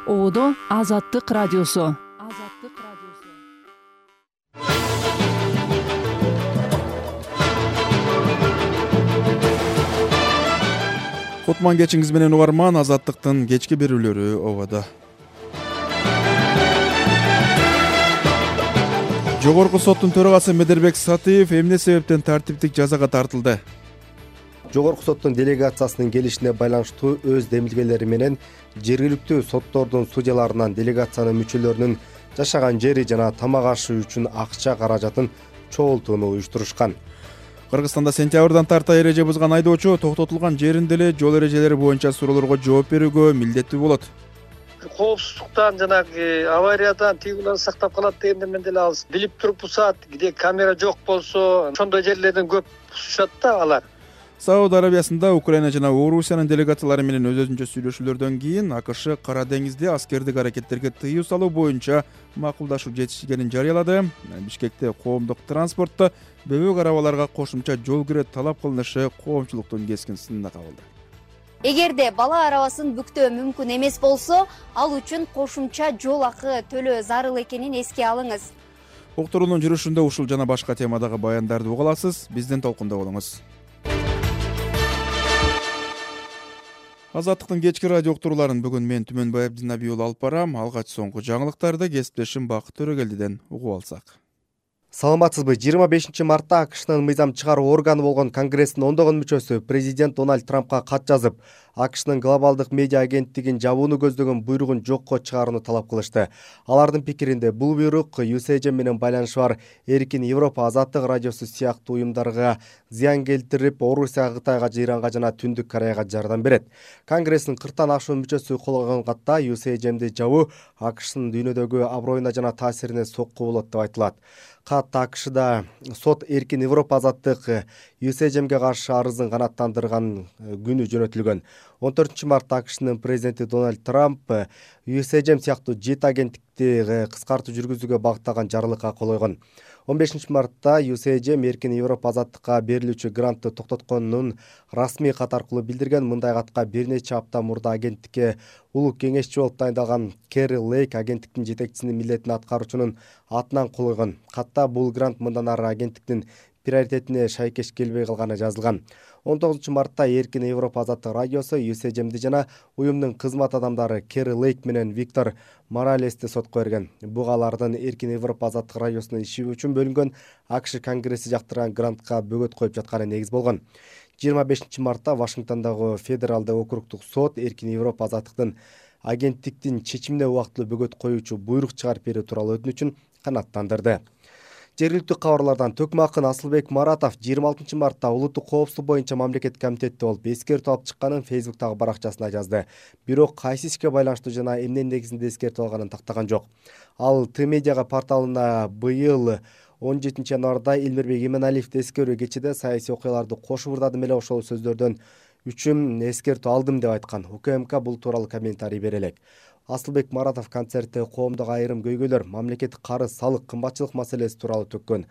Одо Азаттык радиосу. Кутман кечиңиз менен угарман, Азаттыктын кечки берүүлөрү ободо. Жогорку соттун төрагасы Медербек Сатыев эмне себептен тартиптик жазага тартылды? Жогорку соттун делегациясынын келишине байланыштуу өз демилгелери менен жергиликтүү соттордун судьяларынан делегациянын мүчөлөрүнүн жашаган жери жана тамак ашы үчүн акча каражатын чогултууну уюштурушкан. Кыргызстанда сентябрдан тарта эреже бузган айдоочу токтотулган жеринде эле жол эрежелери боюнча суроолорго жооп берүүгө милдеттүү болот. Коопсуздуктан жанагы авариядан тигилер сактап калат дегенде мен деле ал билип туруп бусат, киде камера жок болсо ошондой жерлерден көп бусушат да алар. Сауд Арабиясында Украина жана Орусиянын делегациялары менен өзүнчө сүйлөшүүлөрдөн кийин АКШ Кара деңизде аскердик аракеттерге тыюу салуу боюнча макулдашуу жетишкенин жарыялады. Бишкекте коомдук транспортто бөбөк арабаларга кошумча жол кирет талап кылынышы коомчулуктун кескин сынына кабылды. Эгерде бала арабасын бүктөө мүмкүн эмес болсо, ал үчүн кошумча жол акы төлөө зарыл экенин эске алыңыз. Уктуруунун жүрүшүндө ушул жана башка темадагы баяндарды уга аласыз. Бизден толкунда болуңуз. Азаттыктын кечки радио уктурууларын бүгүн мен Түмөнбай Абдинабий уулу алып барам. Алгач соңку жаңылыктарды кесиптешим Бакыт Төрөгелдиден угуп алсак. Саламатсызбы? 25 мартта АКШнын мыйзам чыгаруу органы болгон Конгресстин ондогон мүчөсү президент Дональд Трампка кат жазып, АКШнын глобалдык медиа агенттигин жабууну көздөгөн буйругун жокко чыгарууну талап кылышты. Алардын пикиринде бул буйрук USAGM менен байланышы бар Эркин Европа Азаттык радиосу сыяктуу уюмдарга зыян келтирип, Орусияга, Кытайга, Иранга жана Түндүк Кореяга жардам берет. Конгресстин 40тан ашуун мүчөсү кол койгон катта USAGMди жабуу АКШнын дүйнөдөгү аброюна жана таасирине сокку болот деп айтылат. Кат АКШда сот Эркин Европа Азаттык USAGMге каршы арызын канааттандырган күнү жөнөтүлгөн. 14 мартта АКШнын президенти Дональд Трамп USAGM сыяктуу 7 агенттикти кыскартуу жүргүзүүгө багытталган жарлыкка кол койгон. 15 мартта USAGM Эркин Европа Азаттыкка берилүүчү грантты токтотконун расмий кат аркылуу билдирген. Мындай катка бир нече апта мурда агенттикке улук кеңешчи болуп дайындалган Керри Лейк агенттиктин жетекчисинин милдетин аткаруучунун атынан кол койгон. Катта бул грант мындан ары агенттиктин приоритетине шайкеш келбей калганы жазылган. 19 мартта Эркин Европа Азаттык радиосу USAGMди жана уюмдун кызмат адамдары Керри Лейк менен Виктор Моралести сотко берген. Буга алардын Эркин Европа Азаттык радиосунун иши үчүн бөлүнгөн АКШ Конгресси жактырган грантка бөгөт коюп жатканы негиз болгон. 25 мартта Вашингтондогу федералдык округдук сот Эркин Европа Азаттыктын агенттиктин чечимине убактылуу бөгөт коюучу буйрук чыгарып берүү тууралуу өтүнүчүн канааттандырды. Жергиликтүү кабарлардан Төкмө Акын Асылбек Маратов 26 мартта улуттук коопсуздук боюнча мамлекеттик комитетте болуп эскертүү алып чыкканын Facebook'тагы баракчасына жазды. Бирок кайсы ишке байланыштуу жана эмне негизинде эскертүү алганын тактаган жок. Ал Т-медиа порталына быйыл 17 январда Элмирбек Иманалиевди эскерүү кечеде саясий окуяларды кошуп ырдадым эле, ошол сөздөрдөн үчүн эскертүү алдым деп айткан. УКМК бул тууралуу комментарий бере элек. Асылбек Маратов концертте коомдук айрым көйгөйлөр, мамлекеттик карыз, салык, кымбатчылык маселеси тууралуу төккөн.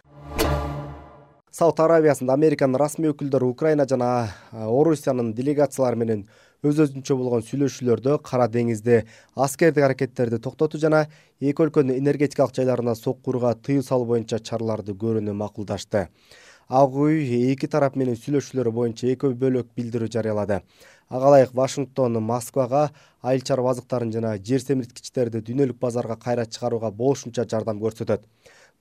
Сауд Арабиясында Американын расмий өкүлдөрү Украина жана Орусиянын делегациялары менен өз-өзүнчө болгон сүйлөшүүлөрдө Кара деңизде аскердик аракеттерди токтотуу жана эки өлкөнүн энергетикалык жайларына соккууга тыюу салуу боюнча чараларды көрүүнү макулдашты. Ак үй эки тарап менен сүйлөшүүлөрү боюнча эки бөлөк билдирүү жарыялады. Ага ылайык Вашингтон Москвага айыл чарба азыктарын жана жер семирткичтерди дүйнөлүк базарга кайра чыгарууга болушунча жардам көрсөтөт.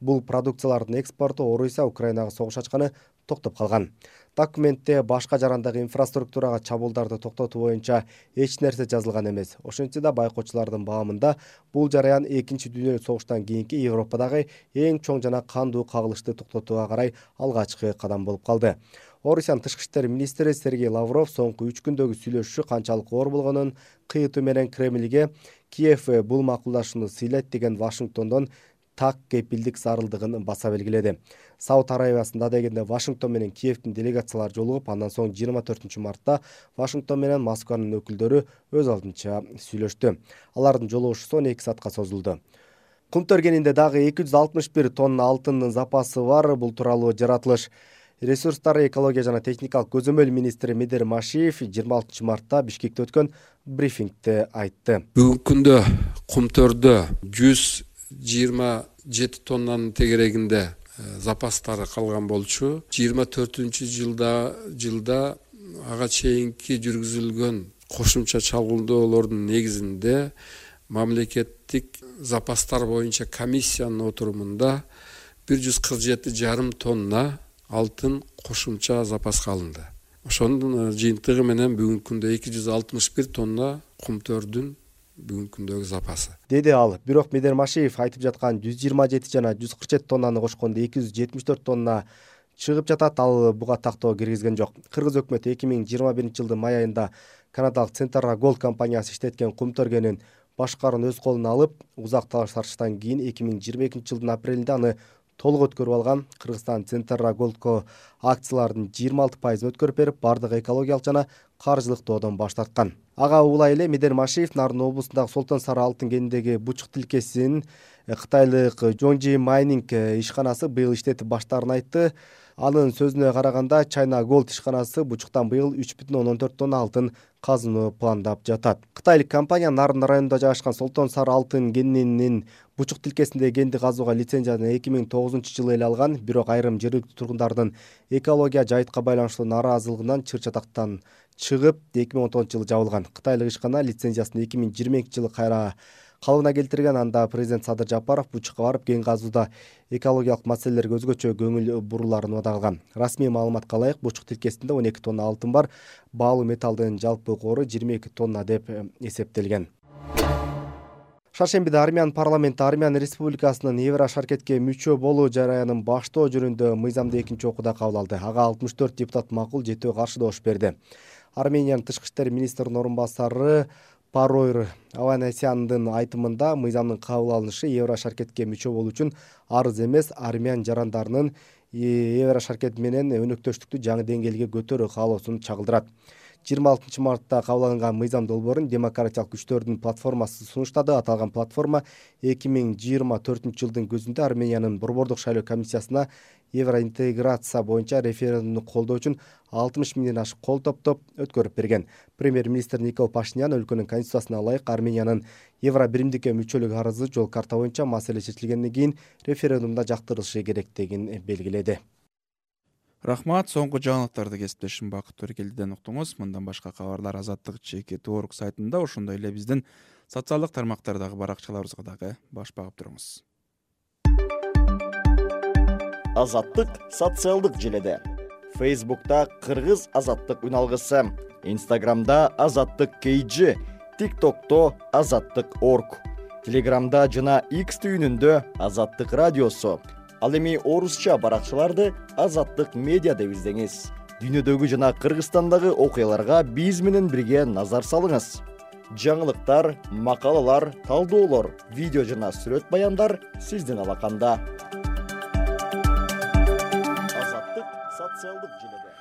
Бул продукциялардын экспорту Орусия Украинага согуш ачканы токтоп калган. Документте башка жарандагы инфраструктурага чабуулдарды токтотуу боюнча эч нерсе жазылган эмес. Ошентсе да байкоочулардын баамында бул жараян Экинчи дүйнөлүк согуштан кийинки Европадагы эң чоң жана кандуу кагылышты токтотууга карай алгачкы кадам болуп калды. Орусиянын тышкы иштер министри Сергей Лавров соңку 3 күндөгү сүйлөшүү канчалык оор болгонун кыйытуу менен Кремльге Киев бул макулдашууну сыйлайт деген Вашингтондон так кепилдик зарылдыгын баса белгиледи. Сауд Арабиясында дегенде Вашингтон менен Киевдин делегациялары жолугуп, андан соң 24 мартта Вашингтон менен Москванын өкүлдөрү өз алдынча сүйлөштү. Алардын жолугушуусу 12 саатка созулду. Кум төргенинде дагы 261 тонна алтындын запасы бар. Бул тууралуу жаратылыш ресурстары, экология жана техникалык көзөмөл министри Медер Машиев 26 мартта Бишкекте өткөн брифингде айтты. Бүгүнкү күндө Кумтөрдө 127 тоннанын тегерегинде запастары калган болчу. 24-жылда ага чейинки жүргүзүлгөн кошумча чалгындоолордун негизинде мамлекеттик запастар боюнча комиссиянын отурумунда 147,5 тонна алтын кошумча запаска алынды. Ошонун жыйынтыгы менен бүгүнкү күндө 261 тонна Кумтөрдүн бүгүнкү күндөгү запасы, деди ал. Бирок Медер Машиев айтып жаткан 127 жана 147 тоннаны кошкондо 274 тонна чыгып жатат. Ал буга тактоо киргизген жок. Кыргыз өкмөтү 2021-жылдын май айында канадалык Центрра Голд компаниясы иштеткен кумтөр кенин башкаруун өз колуна алып, узак талаш тартыштан кийин 2022-жылдын апрелинде аны толук өткөрүп алган. Кыргызстан Центрра Голдко акциялардын 26% өткөрүп берип, бардык экологиялык жана каржылык доодон баш тарткан. Ага улай эле Медер Машиев Нарын облусундагы Солтон Сары алтын кенидеги бучук тилкесин кытайлык Жонжи майнинг ишканасы быйыл иштетип баштаарын айтты. Анын сөзүнө караганда, China Gold ишканасы бучуктан быйыл 3,14 тонна алтын казууну пландап жатат. Кытайлык компания Нарын районунда жайгашкан Солтон Сары алтын кенинин бучук тилкесинде кенди казууга лицензияны 2009-жылы эле алган. Бирок айрым жергиликтүү тургундардын экология жайытка байланыштуу нааразылыгынан чыр-чатактан чыгып 2010-жылы жабылган. Кытайлык ишкана лицензиясын 2022-жылы кайра калыбына келтирген. Анда президент Садыр Жапаров бучукка барып кен казууда экологиялык маселелерге өзгөчө көңүл буруларын убада кылган. Расмий маалыматка ылайык, бучук тилкесинде 12 тонна алтын бар. Баалуу металлдын жалпы кору 22 тонна деп эсептелген. Шаршембиде Армян парламенти Армян Республикасынын Еврошаркетке мүчө болуу жараянын баштоо жөнүндө мыйзамды экинчи окууда кабыл алды. Ага 64 депутат макул, 7 каршы добуш берди. Армениянын тышкы иштер министринин орун басары Паройр Аванесяндын айтымында, мыйзамдын кабыл алынышы Еврошаркетке мүчө болуу үчүн арыз эмес, армян жарандарынын Еврошаркет менен өнөктөштүктү жаңы деңгээлге көтөрүү каалоосун чагылдырат. 26 мартта кабыл алынган мыйзам долбоорун демократиялык күчтөрдүн платформасы сунуштады. Аталган платформа 2024-жылдын көзүндө Армениянын борбордук шайлоо комиссиясына евроинтеграция боюнча референдумду колдоо үчүн 60 миңден ашык кол топтоп өткөрүп берген. Премьер-министр Никол Пашинян өлкөнүн конституциясына ылайык Армениянын евро биримдикке мүчөлүк арызы жол карта боюнча маселе чечилгенден кийин референдумда жактырылышы керектигин белгиледи. Рахмат, соңку жаңылыктарды кесиптешим Бакыт Төркелдиден уктуңуз. Мындан башка кабарлар Азаттык /org сайтында, ошондой эле биздин социалдык тармактардагы баракчаларыбызга дагы баш багып туруңуз. Азаттык социалдык желеде. Facebook'ta Кыргыз Азаттык үналгысы, Instagram'da Азаттык KG, TikTok'to Азаттык Org, Telegram'da жана X түйүнүндө Азаттык радиосу. Ал эми орусча баракчаларды Азаттык медиа деп издеңиз. Дүйнөдөгү жана Кыргызстандагы окуяларга биз менен бирге назар салыңыз. Жаңылыктар, макалалар, талдоолор, видео жана сүрөт баяндар сиздин алаканда. Азаттык социалдык желеде.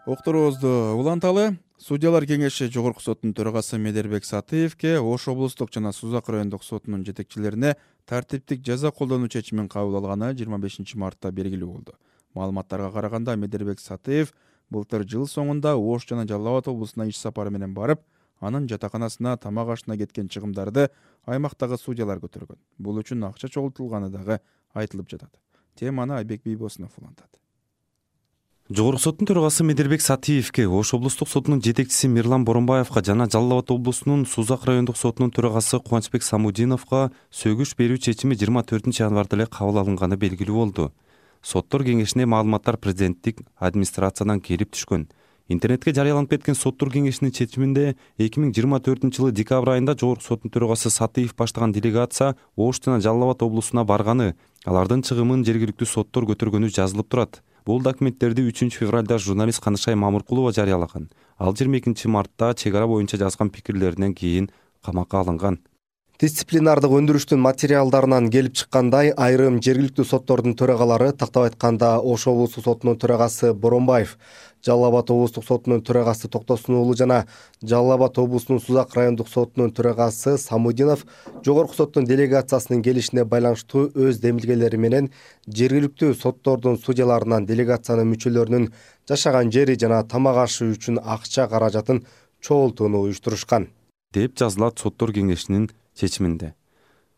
Окторубузду уланталы. Судьялар кеңеши Жогорку соттун төрагасы Медербек Сатыевке Ош облустук жана Сузак райондук сотунун жетекчилерине тартиптик жаза колдонуу чечимин кабыл алганы 25 мартта белгилүү болду. Маалыматтарга караганда, Медербек Сатыев былтыр жыл соңунда Ош жана Жалал Абад облусуна иш сапары менен барып, анын жатаканасына тамак ашына кеткен чыгымдарды аймактагы судьялар көтөргөн. Бул үчүн акча чогултулганы дагы айтылып жатат. Теманы Айбек Бийбосунов улантат. Жогорку соттун төрагасы Медербек Сатыевке, Ош облустук сотунун жетекчиси Мирлан Боронбаевка жана Жалал Абад облусунун Сузак райондук сотунун төрагасы Кубанычбек Самудиновго сөгүш берүү чечими 24 январда эле кабыл алынганы белгилүү болду. Соттор кеңешине маалыматтар президенттик администрациядан келип түшкөн. Интернетке жарыяланып кеткен соттор кеңешинин чечиминде 2024-жылы декабрь айында Жогорку соттун төрагасы Сатыев баштаган делегация Ош жана Жалал Абад облусуна барганы, алардын чыгымын жергиликтүү соттор көтөргөнү жазылып турат. Бул документтерди 3 февралда журналист Канышай Мамыркулова жарыялаган. Ал 22 мартта чек ара боюнча жазган пикирлеринен кийин камакка алынган. Дисциплинардык өндүрүштүн материалдарынан келип чыккандай, айрым жергиликтүү соттордун төрагалары, тактап айтканда Ош облустук сотунун төрагасы Боронбаев, Жалал Абад облустук сотунун төрагасы Токтосун уулу жана Жалал Абад облусунун Сузак райондук сотунун төрагасы Самудинов жогорку соттун делегациясынын келишине байланыштуу өз демилгелери менен жергиликтүү соттордун судьяларынан делегациянын мүчөлөрүнүн жашаган жери жана тамак ашы үчүн акча каражатын чогултууну уюштурушкан деп жазылат соттор кеңешинин чечиминде.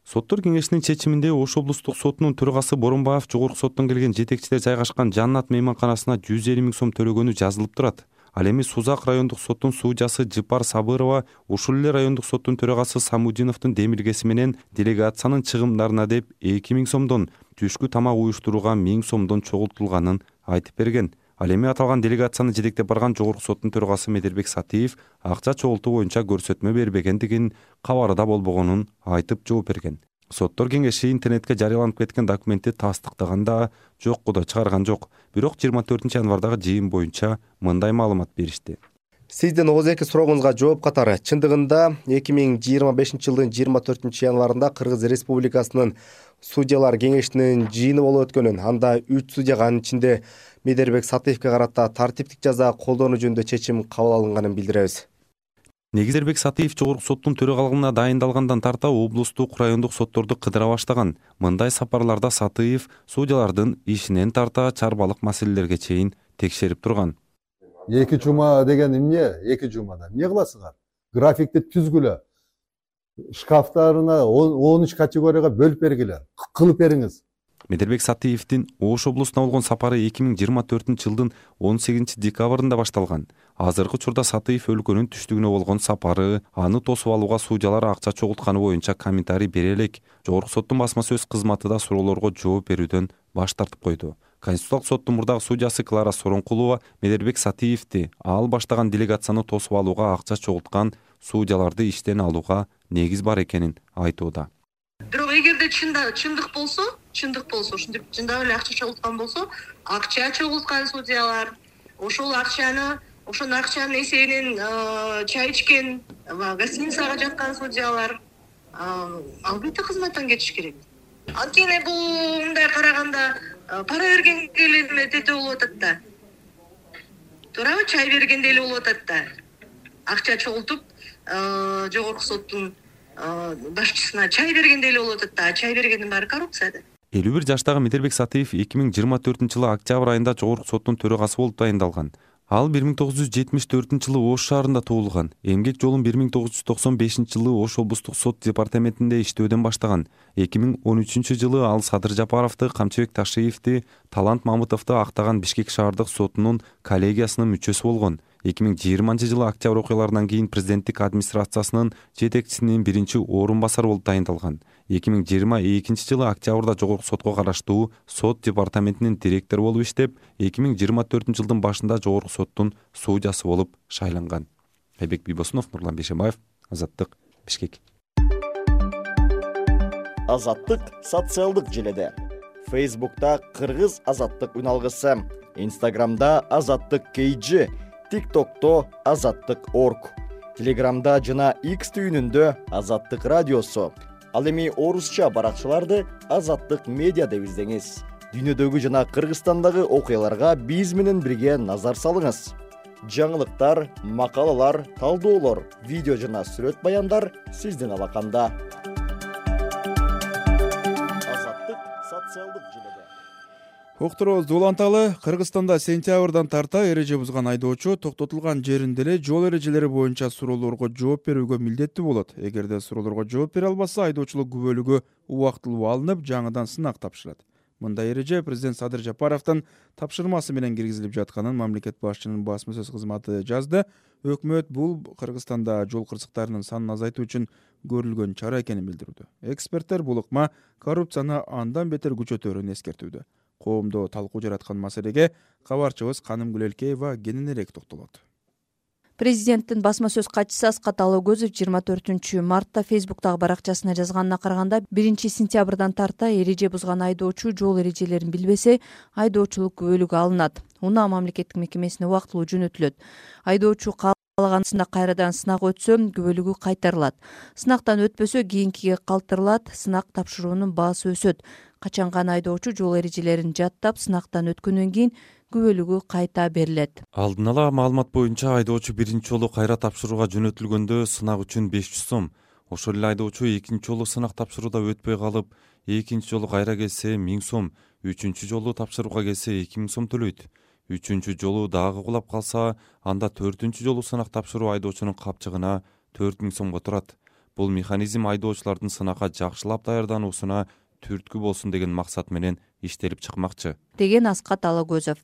Соттор кеңешинин чечиминде Ош облустук сотунун төрагасы Боронбаев жогорку соттон келген жетекчилер жайгашкан Жаннат мейманканасына 150 000 сом төлөгөнү жазылып турат. Ал эми Сузак райондук соттун судьясы Жыпар Сабырова ушул эле райондук соттун төрагасы Самудиновдун демилгеси менен делегациянын чыгымдарына деп 2000 сомдон, түшкү тамак уюштурууга 1000 сомдон чогултулганын айтып берген. Ал эми аталган делегацияны жетектеп барган жогорку соттун төрагасы Медербек Сатиев акча чогултуу боюнча көрсөтмө бербегендигин, кабарда болбогонун айтып жооп берген. Соттор кеңеши интернетке жарыяланып кеткен документти тастыктаганда жокку да чыгарган жок. Бирок 24 январдагы жыйын боюнча мындай маалымат беришти. Сиздин ооздеги сурооңузга жооп катары, чындыгында 2025 жылдын 24 январында Кыргыз Республикасынын судьялар кеңешинин жыйыны болуп өткөнүн, анда 3 судьяга, анын ичинде Медербек Сатиевке карата тартиптик жаза колдонуу жөнүндө чечим кабыл алынганын билдиребиз. Медербек Сатиев жогорку соттун төрагалыгына дайындалгандан тарта облустук райондук сотторду кыдыра баштаган. Мындай сапарларда Сатиев судьялардын ишинен тарта чарбалык маселелерге чейин текшерип турган. 2 жума деген эмне? 2 жумада эмне кыласыңар? Графикти түзгүлө. Шкафтарына 13 категорияга бөлүп бергиле. Кылып бериңиз. Медербек Сатиевдин Ош облусуна болгон сапары 2024 жылдын 18 декабрында башталган. Азыркы учурда Сатиев өлкөнүн түштүгүнө болгон сапары, аны тосуп алууга судьялар акча чогултканы боюнча комментарий бере элек. Жогорку соттун басма сөз кызматы да суроолорго жооп берүүдөн баш тартып койду. Конституциялык соттун мурдагы судьясы Клара Соронкулова Медербек Сатиевди ал баштаган делегацияны тосуп алууга акча чогулткан судьяларды иштен алууга негиз бар экенин айтууда. Бирок эгерде чындык болсо, ушинтип чындап эле акча чогулткан болсо, акча чогулткан судьялар, ошонун акчанын эсебинен чай ичкен, гостиницага жаткан судьялар албетте кызматтан кетиш керек. Анткени бул мындай караганда пара бергенге эле тете болуп атат да. Туурабы, чай бергенде эле болуп атат да. Акча чогултуп жогорку соттун башчысына чай бергенде эле болуп атат да. Чай бергендин баары коррупция да. 51 жаштагы Медербек Сатиев 2024 жылы октябрь айында жогорку соттун төрагасы болуп дайындалган. Ал 1974 жылы Ош шаарында туулган. Эмгек жолун 1995 жылы Ош облустук сот департаментинде иштөөдөн баштаган. 2013 жылы ал Садыр Жапаровду, Камчыбек Ташиевди, Талант Мамытовду актаган Бишкек шаардык сотунун коллегиясынын мүчөсү болгон. 2020 жылы октябрь окуяларынан кийин президенттик администрациясынын жетекчисинин биринчи орун басары болуп дайындалган. 2022 жылы октябрда жогорку сотко караштуу сот департаментинин директору болуп иштеп, 2024 жылдын башында жогорку соттун судьясы болуп шайланган. Айбек Бибосунов, Нурлан Бейшембаев, Азаттык, Бишкек. Азаттык социалдык желеде. Фейсбукта Кыргыз Азаттык үналгысы, Инстаграмда Азаттык KG, ТикТокто Азаттык.орг, Телеграмда жана X түйүнүндө Азаттык радиосу. Ал эми орусча баракчаларды Азаттык медиа деп издеңиз. Дүйнөдөгү жана Кыргызстандагы окуяларга биз менен бирге назар салыңыз. Жаңылыктар, макалалар, талдоолор, видео жана сүрөт баяндар сиздин алаканда. Азаттык социалдык желеде. Уктуруубузду уланталы. Кыргызстанда сентябрдан тарта эреже бузган айдоочу токтотулган жеринде эле жол эрежелери боюнча суроолорго жооп берүүгө милдеттүү болот. Эгерде суроолорго жооп бере албаса, айдоочулук күбөлүгү убактылуу алынып, жаңыдан сынак тапшырат. Мындай эреже президент Садыр Жапаровдун тапшырмасы менен киргизилип жатканын мамлекет башчынын басма сөз кызматы жазды. Өкмөт бул Кыргызстанда жол кырсыктарынын санын азайтуу үчүн көрүлгөн чара экенин билдирүүдө. Эксперттер бул ыкма коррупцияны андан бетер күчөтөөрүн эскертүүдө. Коомдо талкуу жараткан маселеге кабарчыбыз Каным Гүлелкеева кененирээк токтолот. Президенттин басма сөз катчысы Аскат Алыгөзов 24 мартта Фейсбуктагы баракчасына жазганына караганда 1 сентябрдан тарта эреже бузган айдоочу жол эрежелерин билбесе, айдоочулук күбөлүгү алынат. Унаа мамлекеттик мекемесине убактылуу жөнөтүлөт. Айдоочу каалаган сынак кайрадан сынак өтсө күбөлүгү кайтарылат. Сынактан өтпөсө кийинкиге калтырылат. Сынак тапшыруунун баасы өсөт. Качан гана айдоочу жол эрежелерин жаттап сынактан өткөндөн кийин күбөлүгү кайта берилет. Алдын ала маалымат боюнча айдоочу биринчи жолу кайра тапшырууга жөнөтүлгөндө сынак үчүн 500 сом. Ошол эле айдоочу экинчи жолу сынак тапшырууда өтпөй калып, экинчи жолу кайра келсе 1000 сом, үчүнчү жолу тапшырууга келсе 2000 сом төлөйт. Үчүнчү жолу дагы кулап калса, анда 4-чү жолу сынак тапшыруу айдоочунун капчыгына 4000 сомго турат. Бул механизм айдоочулардын сынакка жакшылап даярдануусуна түрткү болсун деген максат менен иштелип чыкмакчы, деген Аскат Алагөзов.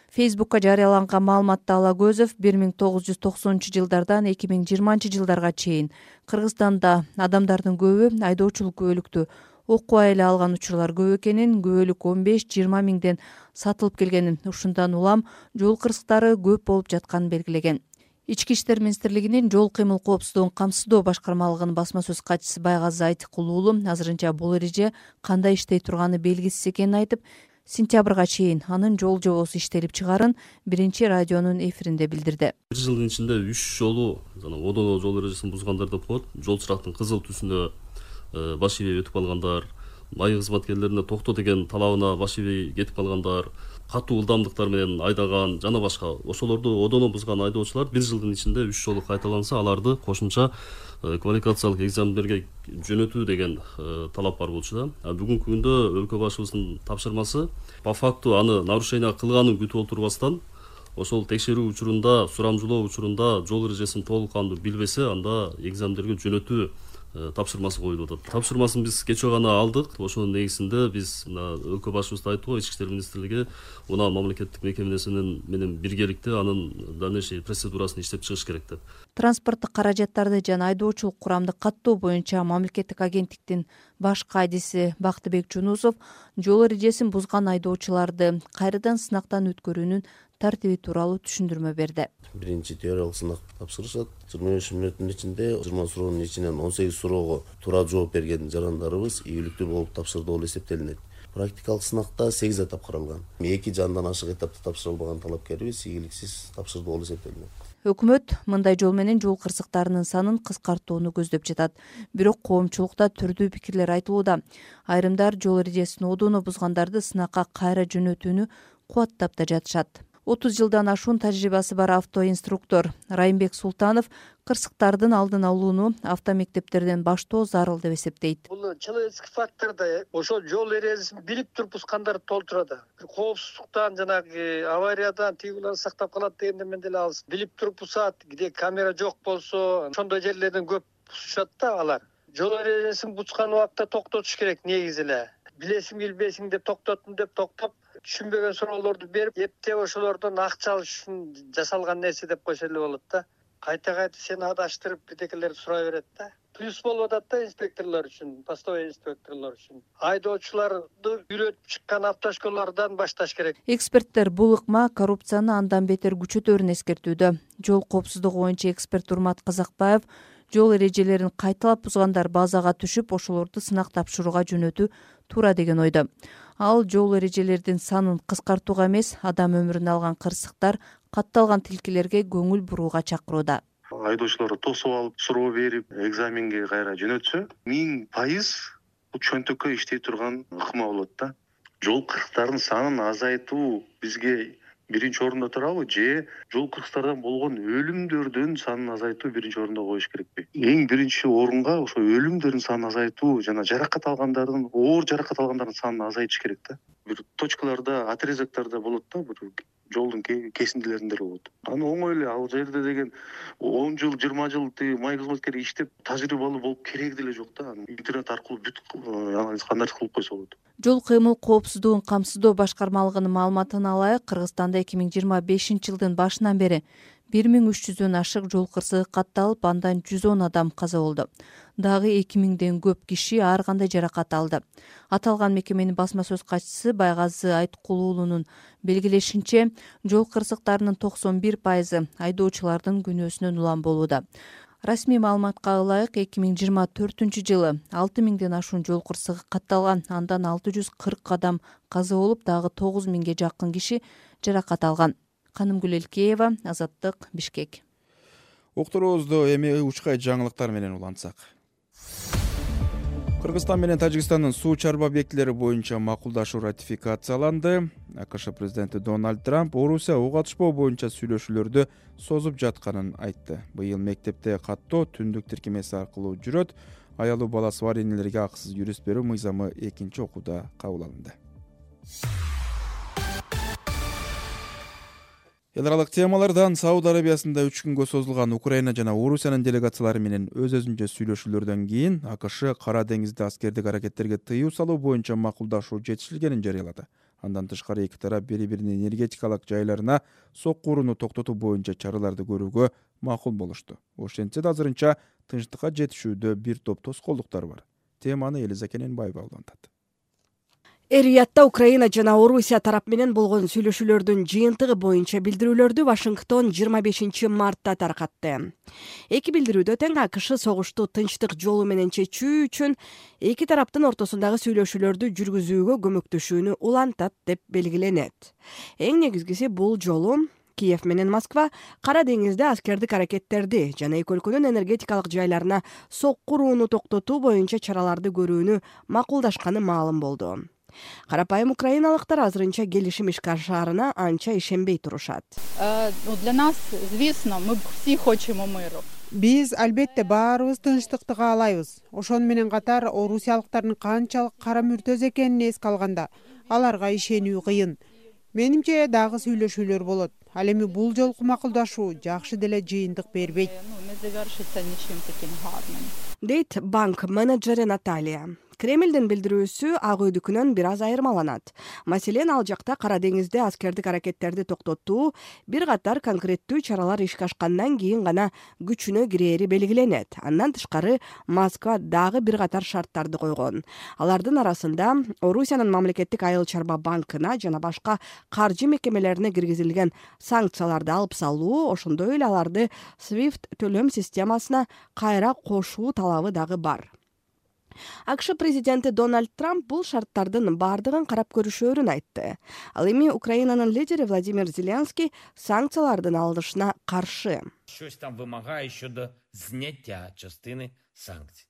Фейсбукка жарыяланган маалыматта Алагөзов 1990-жылдардан 2020-жылдарга чейин Кыргызстанда адамдардын көбү айдоочулук күбөлүктү окубай эле алган учурлар көп экенин, күбөлүк 15-20 миңден сатылып келгенин, ушундан улам жол кырсыктары көп болуп жатканын белгилеген. Ички иштер министрлигинин жол кыймыл коопсуздугун камсыздоо башкармалыгынын басма сөз катчысы Байгазы Айтыкул уулу азырынча бул эреже кандай иштей турганы белгисиз экенин айтып, сентябрга чейин анын жол жобосу иштелип чыгарын биринчи радионун эфиринде билдирди. Бир жылдын ичинде 3 жолу одоно жол эрежесин бузгандар деп коет. Жол чырактын кызыл түсүнө баш ийбей өтүп калгандар, майы кызматкерлерине токто деген талабына баш ийбей кетип калгандар, катуу ылдамдыктар менен айдаган жана башка ошолорду одоно бузган айдоочулар бир жылдын ичинде 3 жолу кайталанса, аларды кошумча квалификациялык экзамендерге жөнөтүү деген талап бар болчу да. Бүгүнкү күндө өлкө башыбыздын тапшырмасы по факту аны нарушение кылганын күтүп отурбастан ошол текшерүү учурунда, сурамжылоо учурунда жол эрежесин толук кандуу билбесе, анда экзамендерге жөнөтүү тапшырмасы коюлуп атат. Тапшырмасын биз кечээ гана алдык. Ошонун негизинде биз өлкө башыбызда айттык, Ички иштер министрлиги мына мамлекеттик мекемесинин менен биргеликте анын дальнейший процедурасын иштеп чыгыш керек деп. Транспорттук каражаттарды жана айдоочулук курамды каттоо боюнча мамлекеттик агенттиктин баш кайдиси Бактыбек Жунусов жол эрежесин бузган айдоочуларды кайрадан сынактан өткөрүүнүн тартиби тууралуу түшүндүрмө берди. Биринчи теориялык сынак тапшырышат. 25 мүнөттүн ичинде 20 суроонун ичинен 18 суроого туура жооп берген жарандарыбыз ийгиликтүү болуп тапшырды болуп эсептелинет. Практикалык сынакта 8 этап каралган. 2 жандан ашык этапты тапшыра албаган талапкерибиз ийгиликсиз тапшырды болуп эсептелинет. Өкмөт мындай жол менен жол кырсыктарынын санын кыскартууну көздөп жатат. Бирок коомчулукта түрдүү пикирлер айтылууда. Айрымдар жол эрежесин одоно бузгандарды сынакка кайра жөнөтүүнү кубаттап да жатышат. 30 жылдан ашуун тажрыйбасы бар автоинструктор Райымбек Султанов кырсыктардын алдын алууну автомектептерден баштоо зарыл деп эсептейт. Бул человеческий факторда ошол жол эрежесин билип туруп бузгандар толтурат. Коопсуздуктан жанагы авариядан тигилер сактап калат дегенде мен деле алыс. Билип туруп бузат, где камера жок болсо, ошондой жерлерден көп бузушат да алар. Жол эрежесин бузган убакта токтотуш керек негизи эле. Билесиң билбейсиң деп токтоттум деп токтоп, түшүнбөгөн суроолорду берип, эптеп ошолордон акча алыш үчүн жасалган нерсе деп койсо эле болот да. Кайта сени адаштырып бирдекелерди сурай берет да. Плюс болуп атат да инспекторлор үчүн, постовой инспекторлор үчүн. Айдоочуларды үйрөтүп чыккан автошколалардан башташ керек. Эксперттер бул ыкма коррупцияны андан бетер күчөтөрүн эскертүүдө. Жол коопсуздугу боюнча эксперт Урмат Казакбаев жол эрежелерин кайталап бузгандар базага түшүп, ошолорду сынак тапшырууга жөнөтүү туура деген ойдо. Ал жол эрежелердин санын кыскартууга эмес, адам өмүрүн алган кырсыктар, катталган тилкелерге көңүл бурууга чакырууда. Айдоочуларды тосуп алып, суроо берип, экзаменге кайра жөнөтсө, 1000% бул чөнтөккө иштей турган ыкма болот да. Жол кырсыктарынын санын азайтуу бизге биринчи орунда турабы, же жол кырсыктардан болгон өлүмдөрдүн санын азайтуу биринчи орунда коюш керекпи? Эң биринчи орунга ошо өлүмдөрдүн санын азайтуу жана жаракат алгандардын, оор жаракат алгандардын санын азайтыш керек да. Бир точкаларда, отрезоктарда болот да, бир жолдун кесиндилеринде болот. Аны оңой эле ал жерде деген 10 жыл, 20 жыл май кызматкери иштеп тажрыйбалуу болуп кереги деле жок да. Интернет аркылуу бүт анализ кандай кылып койсо болот. Жол кыймыл коопсуздугун камсыздоо башкармалыгынын маалыматына ылайык, Кыргызстанда 2025-жылдын башынан бери 1300дөн ашык жол кырсыгы катталып, андан 110 адам каза болду. Дагы 2000ден көп киши ар кандай жаракат алды. Аталган мекеменин басма сөз катчысы Байгазы Айткул уулунун белгилешинче, жол кырсыктарынын 91% айдоочулардын күнөөсүнөн улам болууда. Расмий маалыматка ылайык 2024-жылы 6000ден ашуун жол кырсыгы катталган, андан 640 адам каза болуп, дагы 9000ге жакын киши жаракат алган. Канымгүл Элкеева, Азаттык, Бишкек. Уктуруубузду эми учкай жаңылыктар менен улантсак. Кыргызстан менен Тажикстандын суу чарба объектилери боюнча макулдашуу ратификацияланды. АКШ президенти Дональд Трамп Орусия ок атышпоо боюнча сүйлөшүүлөрдү созуп жатканын айтты. Быйыл мектепте каттоо түндүк тиркемеси аркылуу жүрөт. Аялуу баласы бар энелерге акысыз юрист берүү мыйзамы экинчи окууда кабыл алынды. Эл аралык темалардан Сауд Арабиясында 3 күнгө созулган Украина жана Орусиянын делегациялары менен өз-өзүнчө сүйлөшүүлөрдөн кийин АКШ Кара деңизде аскердик аракеттерге тыюу салуу боюнча макулдашуу жетишилгенин жарыялады. Андан тышкары эки тарап бири-биринин энергетикалык жайларына сокку урууну токтотуу боюнча чараларды көрүүгө макул болушту. Ошентсе да азырынча тынчтыкка жетишүүдө бир топ тоскоолдуктар бар. Теманы Элиза Кененбаева улантат. Эр-Риядда Украина жана Орусия тарап менен болгон сүйлөшүүлөрдүн жыйынтыгы боюнча билдирүүлөрдү Вашингтон 25 мартта таркатты. Эки билдирүүдө тең АКШ согушту тынчтык жолу менен чечүү үчүн эки тараптын ортосундагы сүйлөшүүлөрдү жүргүзүүгө көмөктөшүүнү улантат деп белгиленет. Эң негизгиси бул жолу Киев менен Москва Кара деңизде аскердик аракеттерди жана эки өлкөнүн энергетикалык жайларына сокку урууну токтотуу боюнча чараларды көрүүнү макулдашканы маалым болду. Карапайым украиналыктар азырынча келишим ишке ашаарына анча ишенбей турушат. Для нас, звісно, мы все хочемо миру. Биз албетте баарыбыз тынчтыкты каалайбыз. Ошону менен катар орусиялыктардын канчалык кара мүртөз экенин эске алганда аларга ишенүү кыйын. Менимче дагы сүйлөшүүлөр болот. Ал эми бул жолку макулдашуу жакшы деле жыйынтык бербейт. Дейт банк менеджери Наталья. Кремлдин билдирүүсү Ак Үйдүкүнөн бир аз айырмаланат. Маселен, ал жакта Кара деңизде аскердик аракеттерди токтотуу бир катар конкреттүү чаралар ишке ашкандан кийин гана күчүнө кирери белгиленет. Андан тышкары Москва дагы бир катар шарттарды койгон. Алардын арасында Орусиянын мамлекеттик айыл чарба банкына жана башка каржы мекемелерине киргизилген санкцияларды алып салуу, ошондой эле аларды SWIFT төлөм системасына кайра кошуу талабы дагы бар. АКШ президенти Дональд Трамп бул шарттардын бардыгын карап көрүшөөрүн айтты. Ал эми Украинанын лидери Владимир Зеленский санкциялардын алынышына каршы. Щось там вимагає щодо зняття частини санкцій.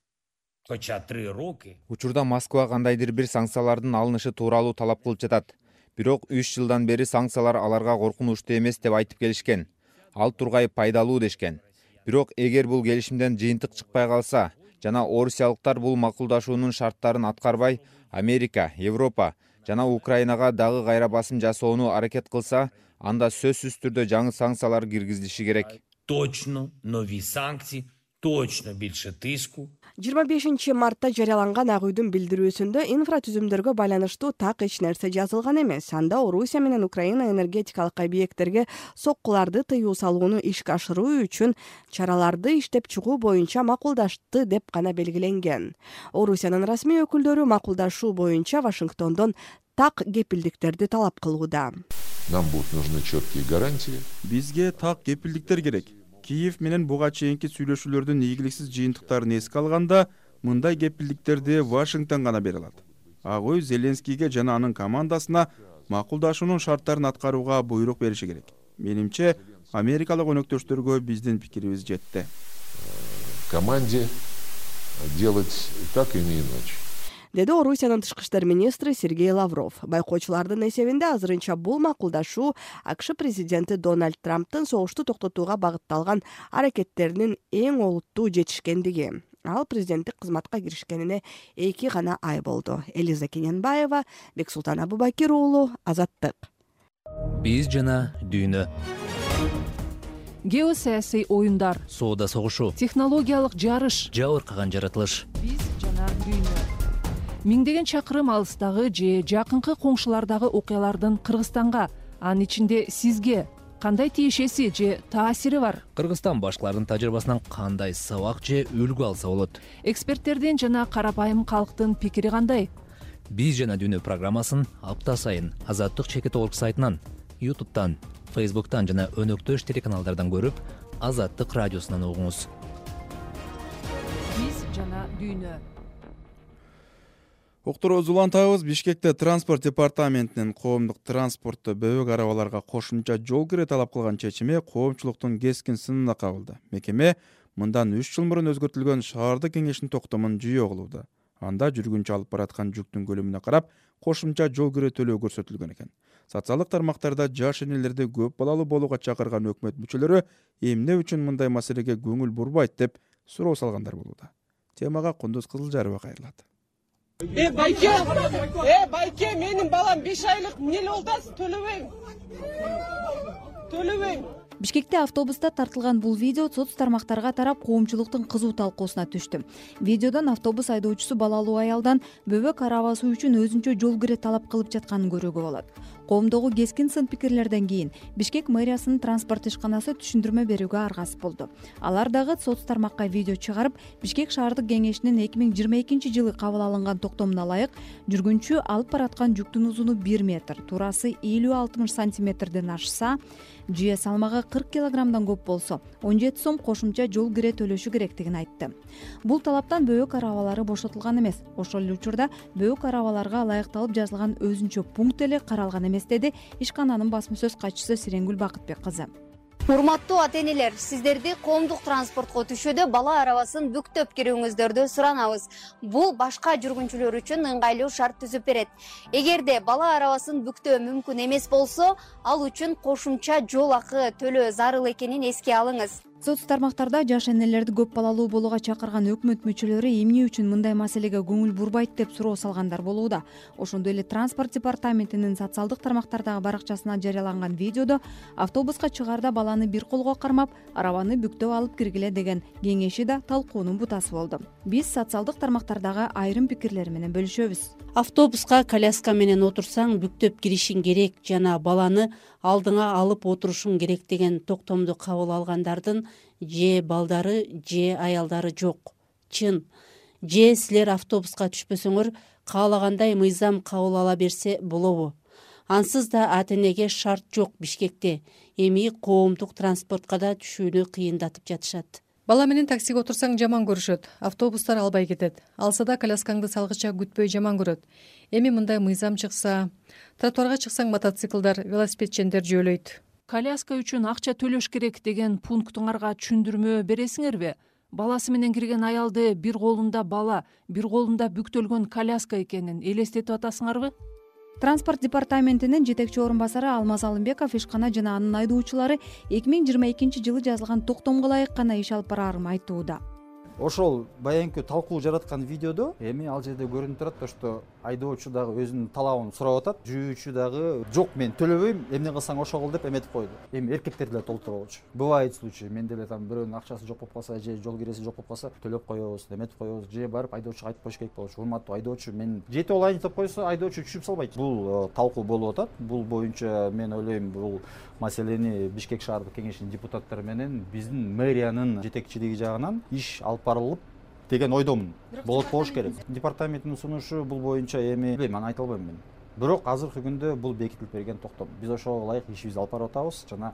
Хоча 3 роки. Учурда Москва кандайдыр бир санкциялардын алынышы тууралуу талап кылып жатат. Бирок 3 жылдан бери санкциялар аларга коркунучтуу эмес деп айтып келишкен. Ал тургай пайдалуу дешкен. Бирок эгер бул келишимден жыйынтык чыкпай калса, жана орусиялыктар бул макулдашуунун шарттарын аткарбай, Америка, Европа жана Украинага дагы кайра басым жасоону аракет кылса, анда сөзсүз түрдө жаңы санкциялар киргизилиши керек. Точно нові санкції, точно більше тиску. 25 мартта жарыяланган Ак Үйдүн билдирүүсүндө инфратүзүмдөргө байланыштуу так эч нерсе жазылган эмес. Анда Орусия менен Украина энергетикалык объекттерге соккуларды тыюу салууну ишке ашыруу үчүн чараларды иштеп чыгуу боюнча макулдашты деп гана белгиленген. Орусиянын расмий өкүлдөрү макулдашуу боюнча Вашингтондон так кепилдиктерди талап кылууда. Нам будут нужны четкие гарантии. Бизге так кепилдиктер керек. Киев менен буга чейинки сүйлөшүүлөрдүн ийгиликсиз жыйынтыктарын эске алганда, мындай кепилдиктерди Вашингтон гана бере алат. Ак Үй Зеленскийге жана анын командасына макулдашуунун шарттарын аткарууга буйрук бериши керек. Менимче, америкалык өнөктөштөргө биздин пикирибиз жетти. Команде делать так и не иначе. Деди Орусиянын тышкы иштер министри Сергей Лавров. Байкоочулардын эсебинде азырынча бул макулдашуу АКШ президенти Дональд Трамптын согушту токтотууга багытталган аракеттеринин эң олуттуу жетишкендиги. Ал президенттик кызматка киришкенине 2 гана ай болду. Элиза Кененбаева, Бексултан Абубакир уулу, Азаттык. Биз жана дүйнө. Геосаясий оюндар. Соода согушу. Технологиялык жарыш. Жабыркаган жаратылыш. Биз жана дүйнө. Миңдеген чакырым алыстагы же жакынкы коңшулардагы окуялардын Кыргызстанга, анын ичинде сизге кандай тиешеси же таасири бар? Кыргызстан башкалардын тажрыйбасынан кандай сабак же үлгү алса болот? Эксперттердин жана карапайым калктын пикири кандай? Биз жана дүйнө программасын апта сайын Азаттык чекит орг сайтынан, YouTube'тан, Facebook'тан жана өнөктөш телеканалдардан көрүп, Азаттык радиосунан угуңуз. Биз жана дүйнө. Уктуруубузду улантабыз. Бишкекте транспорт департаментинин коомдук транспортто бөбөк арабаларга кошумча жол кире талап кылган чечими коомчулуктун кескин сынына кабылды. Мекеме мындан 3 жыл мурун өзгөртүлгөн шаардык кеңештин токтомун жүйө кылууда. Анда жүргүнчү алып бараткан жүктүн көлөмүнө карап кошумча жол кире төлөө көрсөтүлгөн экен. Социалдык тармактарда жаш энелерди көп балалуу болууга чакырган өкмөт мүчөлөрү эмне үчүн мындай маселеге көңүл бурбайт деп суроо салгандар болууда. Темага Кундуз Кызылжарова кайрылат. Байке, менин балам 5 айлык эмне болдасыз? Төлөбөйм. Бишкекте автобуста тартылган бул видео соц тармактарга тарап коомчулуктун кызуу талкуусуна түштү. Видеодон автобус айдоочусу балалуу аялдан бөбөк арабасы үчүн өзүнчө жол кире талап кылып жатканын көрүүгө болот. Коомдогу кескин сын пикирлерден кийин Бишкек мэриясынын транспорт ишканасы түшүндүрмө берүүгө аргасып болду. Алар дагы соц тармакка видео чыгарып, Бишкек шаардык кеңешинин 2022 жылы кабыл алынган токтомуна ылайык жүргүнчү алып бараткан жүктүн узуну 1 метр, турасы 50-60 сантиметрден ашса, жүйө салмагы 40 килограммдан көп болсо 17 сом кошумча жол кире төлөшү керектигин айтты. Бул талаптан бөбөк арабалары бошотулган эмес. Ошол эле учурда бөбөк арабаларга ылайыкталып жазылган өзүнчө пункт эле каралган эмес, деди ишкананын басма сөз катчысы Сиренгүл Бакытбек кызы. Урматтуу ата-энелер, сиздерди коомдук транспортко түшүүдө бала арабасын бүктөп кирүүңүздөрдү суранабыз. Бул башка жүргүнчүлөр үчүн ыңгайлуу шарт түзүп берет. Эгерде бала арабасын бүктөө мүмкүн эмес болсо, ал үчүн кошумча жол акы төлөө зарыл экенин эске алыңыз. Соц тармактарда жаш энелерди көп балалуу болууга чакырган өкмөт мүчөлөрү эмне үчүн мындай маселеге көңүл бурбайт деп суроо салгандар болууда. Ошондой эле транспорт департаментинин социалдык тармактардагы баракчасына жарыяланган видеодо автобуска чыгаарда баланы бир колго кармап, арабаны бүктөп алып киргиле деген кеңеши да талкуунун бутасы болду. Биз социалдык тармактардагы айрым пикирлер менен бөлүшөбүз. Автобуска коляска менен отурсаң бүктөп киришиң керек жана баланы алдыңа алып отурушуң керек деген токтомду кабыл алгандардын же балдары, же аялдары жок. Чын. Же силер автобуска түшпөсөңөр, каалагандай мыйзам кабыл ала берсе болобу? Ансыз да ата-энеге шарт жок Бишкекте. Эми коомдук транспортко да түшүүнү кыйындатып жатышат. Бала менен таксиге отурсаң жаман көрүшөт. Автобустар албай кетет. Алса да коляскаңды салгыча күтпөй жаман көрөт. Эми мындай мыйзам чыкса, тротуарга чыксаң мотоциклдар, велосипедчендер жөөлөйт. Коляска үчүн акча төлөш керек деген пунктуңарга түшүндүрмө бересиңерби? Баласы менен кирген аялды бир колунда бала, бир колунда бүктөлгөн коляска экенин элестетип атасыңарбы? Транспорт департаментинин жетекчи орун басары Алмаз Алымбеков ишкана жана анын айдоочулары 2022 жылы жазылган токтомго ылайык гана иш алып бараарын айтууда. Ошол баянкы талкуу жараткан видеодо эми ал жерде көрүнүп турат то, что айдоочу дагы өзүнүн талабын сурап атат, жүрүүчү дагы жок, мен төлөбөйм, эмне кылсаң ошо кыл деп эметип койду. Эми эркектер деле толтуруп алчу. Бывает случай, мен деле там бирөөнүн акчасы жок болуп калса, же жол киреси жок болуп калса, төлөп коебуз, эметип коебуз, же барып айдоочуга айтып коюш керек болчу. Урматтуу айдоочу, мен жетип алайын деп койсо, айдоочу түшүп салбайт. Бул талкуу болуп атат. Бул боюнча мен ойлойм, бул маселени Бишкек шаардык кеңешинин депутаттары менен биздин мэриянын жетекчилиги жагынан иш алып барылып деген ойдомун. Болуш керек. Департаменттин сунушу бул боюнча эми билбейм, аны айта албайм мен. Бирок азыркы күндө бул бекитилип берген токтом. Биз ошого ылайык ишибизди алып барып атабыз жана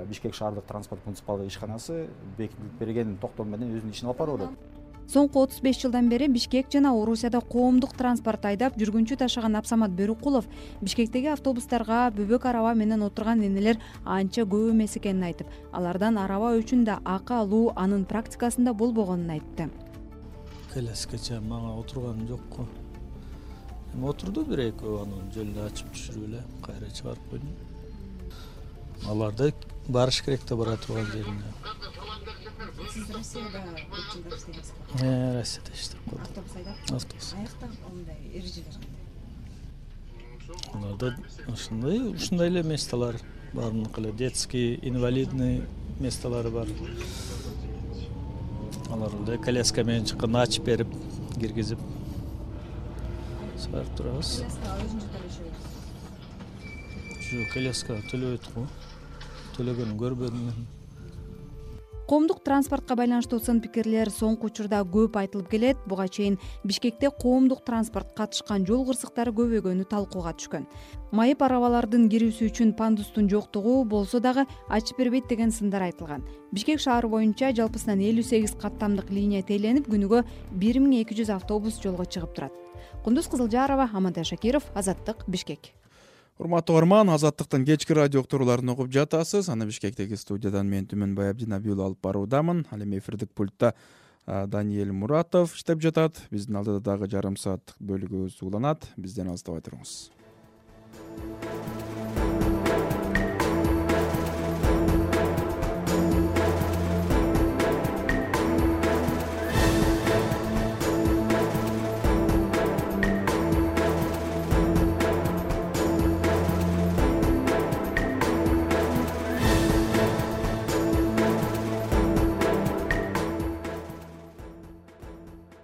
Бишкек шаардык транспорт муниципалдык ишканасы бекитилип берген токтом менен өзүнүн ишин алып барып атат. Соңку 35 жылдан бери Бишкек жана Орусияда коомдук транспорт айдап жүргүнчү ташыган Абсамат Бөрүкулов Бишкектеги автобустарга бөбөк араба менен отурган энелер анча көп эмес экенин айтып, алардан араба үчүн да акы алуу анын практикасында болбогонун айтты. Коляскача мага отурган жокко. Эми отурду бир-экөө, анын жолду ачып түшүрүп эле кайра чыгарып койдум. Аларды барыш керек да бара турган жерине. Сиз Россияда көп жылдар иштедиңиз. Россияда иштеп калдым. Автобус айдап? Автобус. Аякта ондай эрежелер кандай? Аларда ушундай эле месталар баарыныкы эле детский, инвалидный месталары бар. Аларды коляска менен чыкканда ачып берип, киргизип чыгарып турабыз. Коляска өзүнчө төлөшөбүз. Жок, коляска төлөбөйт го. Төлөгөнүн көрбөдүм мен. коомдук транспортко байланыштуу сын пикирлер соңку учурда көп айтылып келет. Буга чейин Бишкекте коомдук транспорт катышкан жол кырсыктары көбөйгөнү талкууга түшкөн. Майып арабалардын кирүүсү үчүн пандустун жоктугу болсо дагы ачып бербейт деген сындар айтылган. Бишкек шаары боюнча жалпысынан 58 каттамдык линия тейленип, күнүгө 1200 автобус жолго чыгып турат. Кундуз Кызылжарова, Амантай Шакиров, Азаттык, Бишкек. Урматтуу угарман, Азаттыктын кечки радио уктурууларын угуп жатасыз. Аны Бишкектеги студиядан мен Түмөн Баябдин алып баруудамын. Ал эми эфирдик пультта Даниэль Муратов иштеп жатат. Биздин алдыда дагы жарым сааттык бөлүгүбүз уланат. Бизден алыстабай туруңуз.